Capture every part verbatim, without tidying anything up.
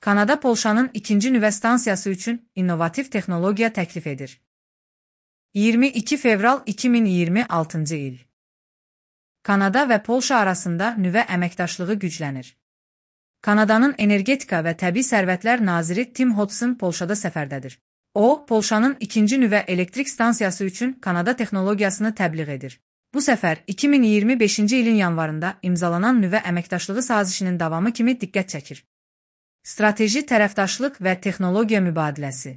Kanada Polşanın ikinci nüvə stansiyası üçün innovativ texnologiya təklif edir. iyirmi iki fevral iki min iyirmi altıncı il. Kanada və Polşa arasında nüvə əməkdaşlığı güclənir. Kanadanın Energetika və Təbii Sərvətlər naziri Tim Hodson Polşada səfərdədir. O, Polşanın ikinci nüvə elektrik stansiyası üçün Kanada texnologiyasını təbliğ edir. Bu səfər iki min iyirmi beşinci ilin yanvarında imzalanan nüvə əməkdaşlığı sazişinin davamı kimi diqqət çəkir. Strateji tərəfdaşlıq və texnologiya mübadiləsi.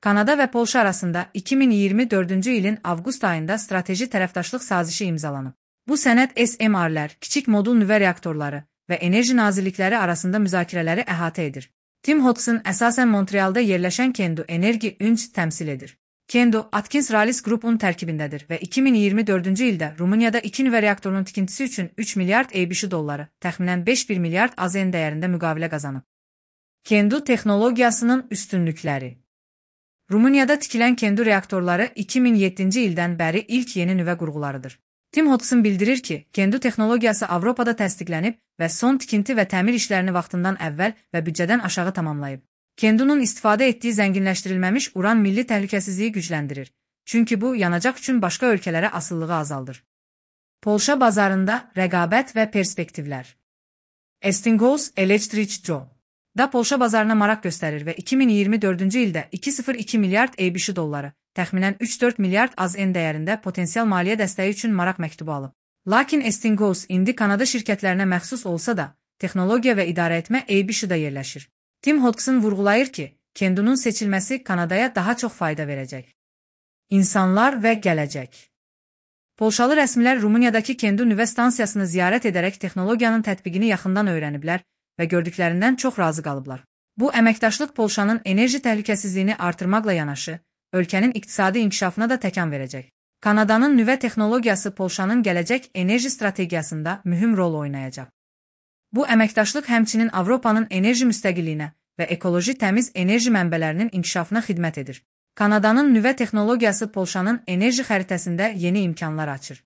Kanada və Polşa arasında iki min iyirmi dördüncü ilin avqust ayında strateji tərəfdaşlıq sazişi imzalanıb. Bu sənəd S M R-lər, kiçik modul nüvə reaktorları və enerji nazirlikləri arasında müzakirələri əhatə edir. Tim Hodson əsasən Montrealda yerləşən Kendo Enerji Ünc təmsil edir. Kendo, Atkins Rallis Group'un tərkibindədir və iki min iyirmi dördüncü ildə Rumuniyada iki nüvə reaktorunun tikintisi üçün üç milyard ABŞ dolları, təxminən beş milyard A Z N dəyərində müqavilə qazanıb. Kendo texnologiyasının üstünlükləri. Rumuniyada tikilən Kendo reaktorları iki min yeddinci ildən bəri ilk yeni nüvə qurğularıdır. Tim Hodson bildirir ki, Kendo texnologiyası Avropada təsdiqlənib və son tikinti və təmir işlərini vaxtından əvvəl və büdcədən aşağı tamamlayıb. Kendo'nun istifadə etdiyi zənginləşdirilməmiş uran milli təhlükəsizliyi gücləndirir, çünki bu yanacaq üçün başqa ölkələrə asılılığı azaldır. Polşa bazarında rəqabət və perspektivlər. Westinghouse Electric Co. da Polşa bazarına maraq göstərir və iki min iyirmi dördüncü ildə iki nöqtə sıfır iki milyard ABŞ dolları, təxminən üç dörd milyard A Z N dəyərində potensial maliyyə dəstəyi üçün maraq məktubu alıb. Lakin Westinghouse indi Kanada şirkətlərinə məxsus olsa da, texnologiya və idarəetmə ABŞ-da yerləşir. Tim Hodson vurğulayır ki, Kendo'nun seçilməsi Kanadaya daha çox fayda verəcək. İnsanlar və gələcək. Polşalı rəsmilər Rumuniyadakı Kendo nüvə stansiyasını ziyarət edərək texnologiyanın tətbiqini yaxından öyrəniblər və gördüklərindən çox razı qalıblar. Bu əməkdaşlıq Polşanın enerji təhlükəsizliyini artırmaqla yanaşı, ölkənin iqtisadi inkişafına da təkan verəcək. Kanadanın nüvə texnologiyası Polşanın gələcək enerji strategiyasında mühüm rol oynayacaq. Bu əməkdaşlıq həmçinin Avropanın enerji müstəqilliyinə və ekoloji təmiz enerji mənbələrinin inkişafına xidmət edir. Kanadanın nüvə texnologiyası Polşanın enerji xəritəsində yeni imkanlar açır.